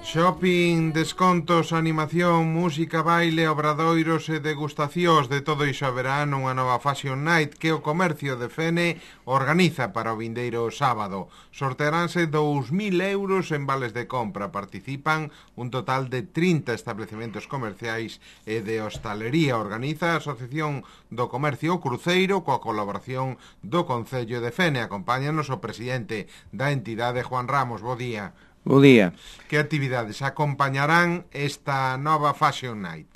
Shopping, descontos, animación, música, baile, obradoiros e degustacións de todo iso haberá nunha nova Fashion Night que o comercio de Fene organiza para o vindeiro sábado. Sortearánse 2.000 euros en vales de compra. Participan un total de 30 establecementos comerciais e de hostalería. Organiza a Asociación do Comercio Cruceiro coa colaboración do Concello de Fene. Acompáñanos o presidente da entidade, Juan Ramos. Bo día. Bo día. Que actividades acompañarán esta nova Fashion Night?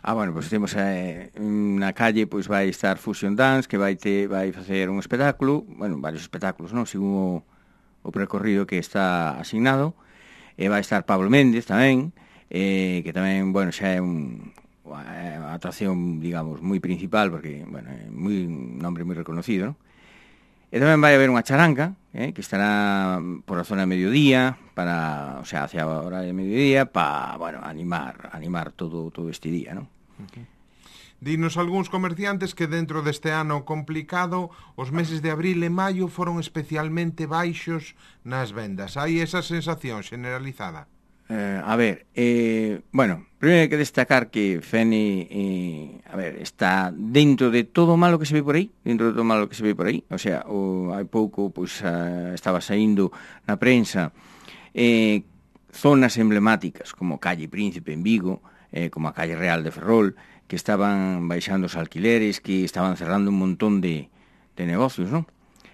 Bueno, pois temos na calle, pois vai estar Fusion Dance, que vai facer un espectáculo, bueno, varios espectáculos, non? Según o percorrido que está asignado. E vai estar Pablo Méndez tamén, que tamén, bueno, xa é unha atracción, digamos, moi principal, porque, bueno, é un nombre moi reconocido, non? E tamén vai haber unha charanga, que estará por a zona de mediodía, hacia a hora de mediodía, para, bueno, animar todo este día, non? Okay. Dinos algúns comerciantes que dentro deste ano complicado, os meses de abril e maio foron especialmente baixos nas vendas. Hai esa sensación generalizada? Bueno, primeiro hai que destacar que Fene, está dentro de todo o malo que se ve por aí, o sea, hai pouco, pois, estaba saindo na prensa zonas emblemáticas como Calle Príncipe en Vigo, como a Calle Real de Ferrol, que estaban baixando os alquileres, que estaban cerrando un montón de negocios, non?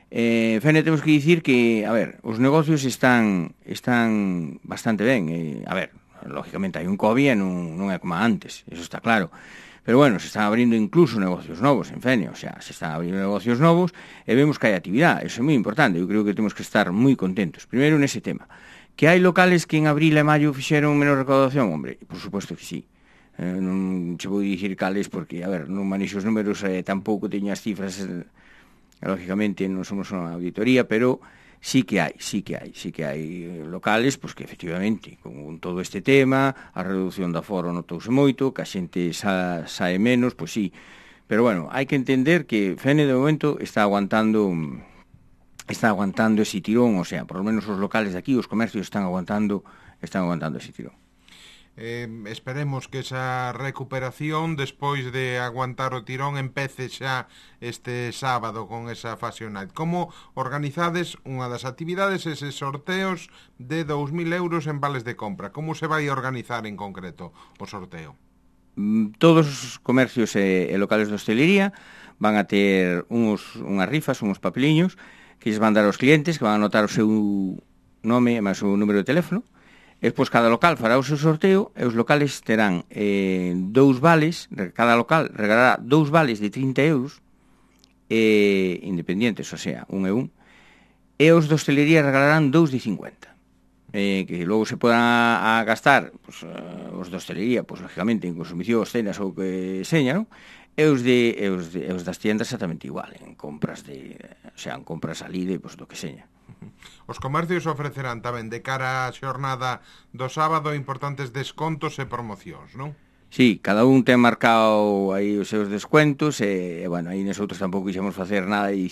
Fene, temos que dicir que, os negocios están bastante ben. Lógicamente hai un COVID e non é como antes, eso está claro. Pero bueno, se están abrindo incluso negocios novos en Fene, o sea, se están abrindo negocios novos e vemos que hai actividade, eso é moi importante. Eu creo que temos que estar moi contentos. Primeiro nese tema. Que hai locales que en abril e maio fixeron menos recaudación, hombre, por suposto que sí. Non che vou dicir cales porque, non manexo os números, tampouco teño as cifras. Lógicamente non somos unha auditoría, pero sí que hai locales pois que efectivamente con todo este tema, a reducción do aforo notouse moito, que a xente sae menos, pois sí, pero bueno, hai que entender que Fene de momento está aguantando ese tirón, o sea, por lo menos os locales de aquí, os comercios están aguantando ese tirón. Esperemos que esa recuperación despois de aguantar o tirón empece xa este sábado con esa Fashion Night. Como organizades unha das actividades, eses sorteos de 2.000 euros en vales de compra? Como se vai organizar en concreto o sorteo? Todos os comercios e locales de hostelería van a ter unhas rifas, uns papeliños que lles van dar aos clientes, que van a anotar o seu nome e máis o número de teléfono. E despois cada local fará o seu sorteo e os locales terán 2 vales, cada local regalará 2 vales de 30 euros independientes, o sea, un e un, e os de hostelería regalarán 2 de 50, que logo se podan gastar, pues, os de hostelería, pues, lógicamente, en consumicións, cenas ou que seña, non? E os das tiendas exactamente igual, en compras en compras alí pues, do que seña. Os comercios ofrecerán tamén de cara á xornada do sábado importantes descontos e promocións, non? Sí, cada un ten marcado aí os seus descuentos e bueno, aí nosotros tampouco quixemos facer nada e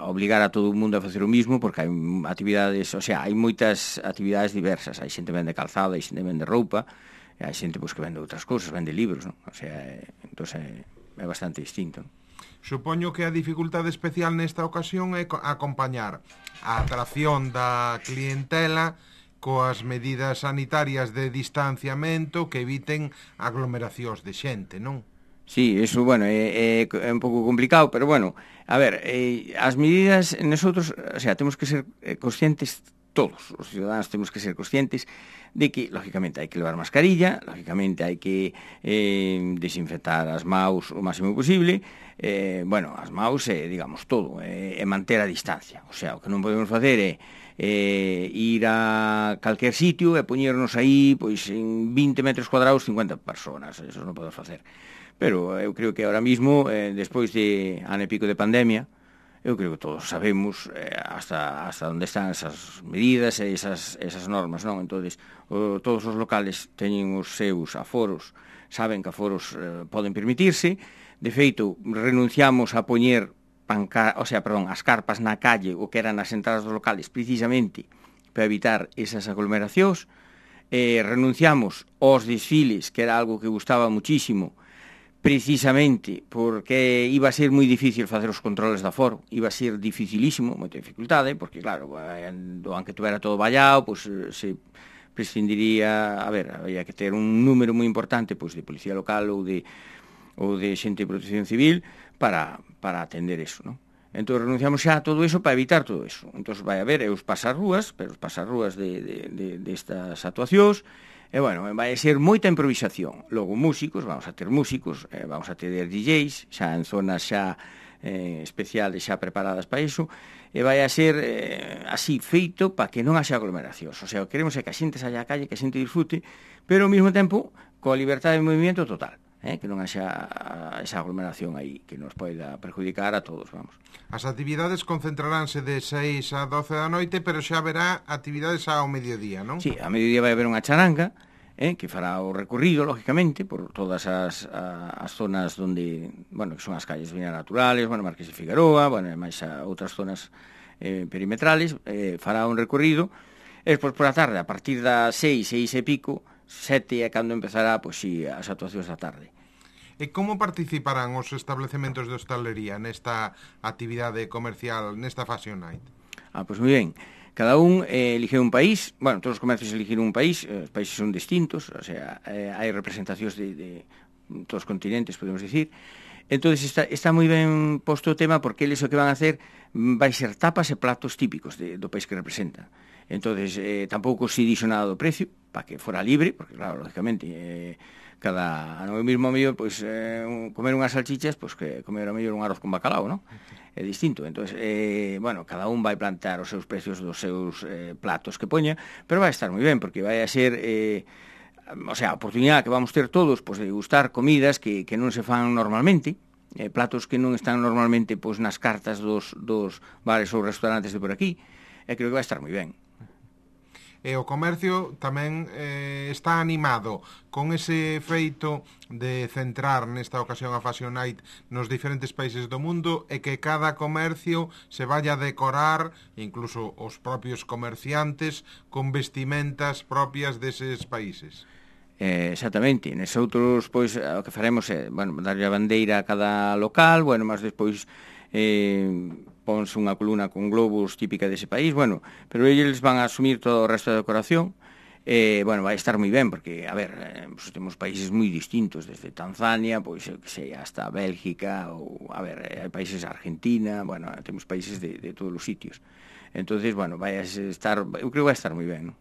obligar a todo o mundo a facer o mismo, porque hai actividades, hai moitas actividades diversas, hai xente vende calzado, hai xente vende roupa, e hai xente que vende outras cousas, vende libros, non? Entón é bastante distinto, non? Supoño que a dificultade especial nesta ocasión é acompañar a atracción da clientela coas medidas sanitarias de distanciamento que eviten aglomeracións de xente, non? Sí, eso, bueno, é un pouco complicado, pero bueno, as medidas nosotros, temos que ser conscientes, todos os ciudadanos temos que ser conscientes de que, lógicamente, hai que levar mascarilla, lógicamente hai que desinfectar as maus o máximo posible, as maus, digamos, todo, e manter a distancia. O sea, o que non podemos facer é ir a calquer sitio e poñernos aí, pois, en 20 metros cuadrados, 50 personas, eso non podemos facer. Pero eu creo que ahora mismo, despois de ano e pico de pandemia, eu creo que todos sabemos hasta onde están esas medidas e esas normas, non? Entonces, todos os locales teñen os seus aforos, saben que aforos poden permitirse. De feito, renunciamos a poñer as carpas na calle, o que eran as entradas dos locales, precisamente para evitar esas aglomeracións, renunciamos aos desfiles, que era algo que gustaba muchísimo, precisamente porque iba a ser moi difícil facer os controles de aforo, iba a ser dificilísimo, moita dificultade, porque claro, aunque tuvera todo vallado, pois se prescindiría, había que ter un número moi importante pois de policía local ou de xente de protección civil para atender eso, non? Entón renunciamos xa a todo eso para evitar todo eso. Entón vai haber os pasarrúas, pero os pasarrúas destas actuacións, e bueno, vai ser moita improvisación. Logo músicos, vamos a ter músicos, vamos a ter DJs, xa en zonas xa especiales, xa preparadas para iso, e vai a ser así feito para que non haxa aglomeracións. O sea, queremos que a xente saia á calle, que a xente disfrute, pero ao mesmo tempo coa liberdade de movimento total. Que non haxa esa aglomeración aí que nos poida perjudicar a todos, vamos. As actividades concentraránse de 6 a 12 da noite, pero xa haberá actividades ao mediodía, non? Sí, a mediodía vai haber unha charanga, que fará o recorrido, lógicamente, por todas as zonas onde, bueno, que son as calles viñas naturales, bueno, Marqués de Figueroa, bueno, e máis a outras zonas perimetrales, fará un recorrido, e despois por a tarde, a partir das 6 e pico, 7 é cando empezará, pois si, as actuacións da tarde. E como participarán os establecementos de hostalería nesta actividade comercial, nesta Fashion Night? Pois moi ben. Cada un elige un país, bueno, todos os comercios eligen un país, os países son distintos, o sea, hai representacións de todos os continentes, podemos dicir. Entón, está moi ben posto o tema porque eles o que van a hacer vai ser tapas e platos típicos do país que representan. Entón, tampouco se dixo nada do precio, para que fora libre, porque claro, lógicamente, no mesmo medio, pois, comer unhas salchichas, pois que comer a mellor un arroz con bacalao, non? É distinto. Entón, bueno, cada un vai plantear os seus precios dos seus platos que poña, pero vai estar moi ben, porque vai a ser, o sea, a oportunidade que vamos ter todos, pois, de gustar comidas que non se fan normalmente, platos que non están normalmente, pois, nas cartas dos bares ou restaurantes de por aquí, e creo que vai estar moi ben. E o comercio tamén está animado con ese feito de centrar nesta ocasión a Fashion Night nos diferentes países do mundo e que cada comercio se vaya a decorar, incluso os propios comerciantes, con vestimentas propias deses países. Exactamente, nes outros, pois, o que faremos é, bueno, darlle a bandeira a cada local, bueno, máis despois ponse unha columna con globos típica dese país, bueno, pero eles van a asumir todo o resto da decoración, bueno, vai estar moi ben, porque, a ver, pues, temos países moi distintos, desde Tanzania, pois, eu que sei, hasta Bélgica, ou, a ver, hai países Argentina, bueno, temos países de todos os sitios. Entonces, bueno, vai a estar, eu creo que vai estar moi ben, non?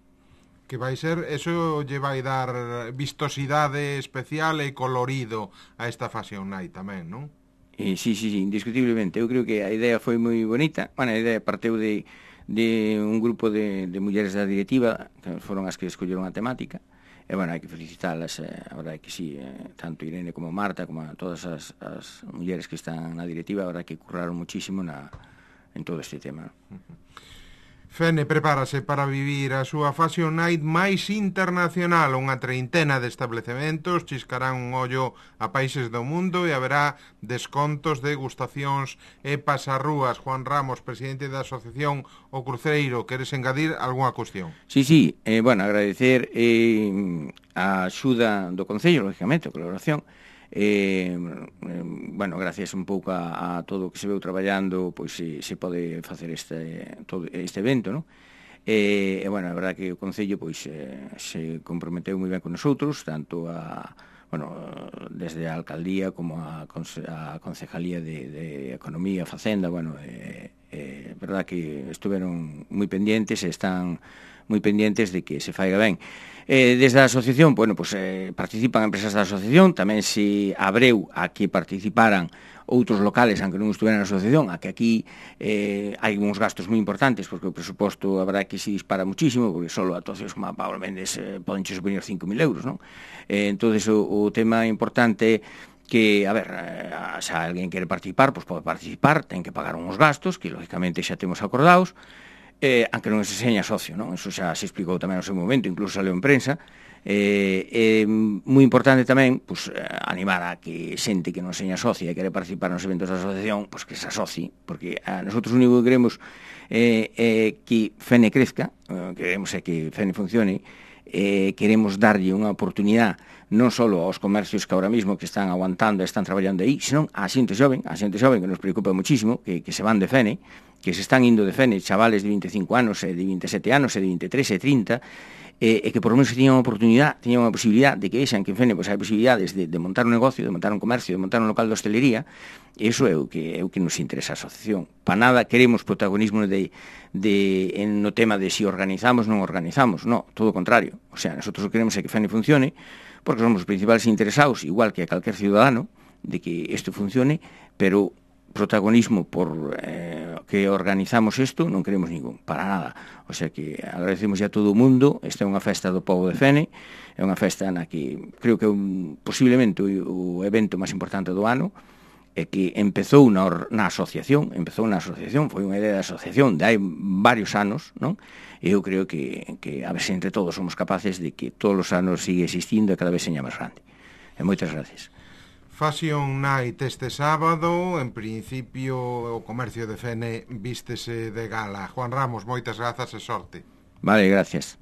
Que vai ser, eso lle vai dar vistosidade especial e colorido a esta Fashion Night tamén, non? Sí, indiscutiblemente. Eu creo que a idea foi moi bonita. Bueno, a idea parteu de un grupo de mulleres da directiva, que foron as que escolleron a temática. E, bueno, hai que felicitarlas, a verdade que sí, tanto Irene como Marta, como a todas as mulleres que están na directiva, a verdade que curraron muchísimo en todo este tema. Fene prepárase para vivir a súa Fashion Night máis internacional. Unha treintena de establecementos chiscarán un ollo a países do mundo e haberá descontos, degustacións e pasarrúas. Juan Ramos, presidente da Asociación O Cruceiro, queres engadir algunha cuestión? Sí, bueno, agradecer a axuda do Concello, lógicamente, a colaboración. Bueno, gracias un pouco a todo o que se veu traballando, pois se pode facer este evento, non? E, bueno, a verdade que o Concello pois se comprometeu moi ben con nosotros, tanto desde a Alcaldía como a Concejalía de Economía, Facenda, bueno, verdade que estuveron moi pendientes e están moi pendientes de que se faiga ben. Desde a asociación, bueno, pues, participan empresas da asociación, tamén se abreu a que participaran outros locales, aunque non estuveran na asociación, a que aquí hai uns gastos moi importantes, porque o presuposto, a verdade, que se dispara muchísimo, porque só actuacións como a Pablo Méndez poden supoñer 5.000 euros, non? Entonces, o tema importante que, a ver, se alguén quere participar, pois pode participar, ten que pagar uns gastos, que lógicamente xa temos acordados, aunque non se seña socio, non? Eso xa se explicou tamén no seu momento, incluso saleu en prensa. É moi importante tamén pues, animar a que xente que non seña socia e quere participar nos eventos da asociación, pues, que se asocie, porque a nosotros o único que queremos é que FENE crezca, queremos é que FENE funcione, queremos darlle unha oportunidade non só aos comercios que ahora mismo que están aguantando e están traballando aí, senón a xente xoven que nos preocupa muchísimo, que se van de FENE, que se están indo de FENE, chavales de 25 anos, e de 27 anos, e de 23 e 30, e que por lo menos teñan unha oportunidade, teñan unha posibilidade de que vexan que en FENE pues, hai posibilidades de montar un negocio, de montar un comercio, de montar un local de hostelería, e iso é o que nos interesa a asociación. Para nada queremos protagonismo no tema de si organizamos ou non organizamos, no, todo o contrario. O sea, nosotros queremos é que FENE funcione, porque somos os principales interesados, igual que a calquer ciudadano, de que isto funcione, pero protagonismo por que organizamos isto non queremos ningún, para nada. O sea que agradecemos a todo o mundo. Esta é unha festa do povo de Fene, é unha festa na que creo que é posiblemente o evento máis importante do ano, e que empezou na asociación, foi unha idea de asociación de hai varios anos, non? E eu creo que a ver se entre todos somos capaces de que todos os anos sigue existindo e cada vez seña máis grande. E moitas gracias. Fashion Night este sábado, en principio o comercio de Fene vístese de gala. Juan Ramos, moitas grazas e sorte. Vale, gracias.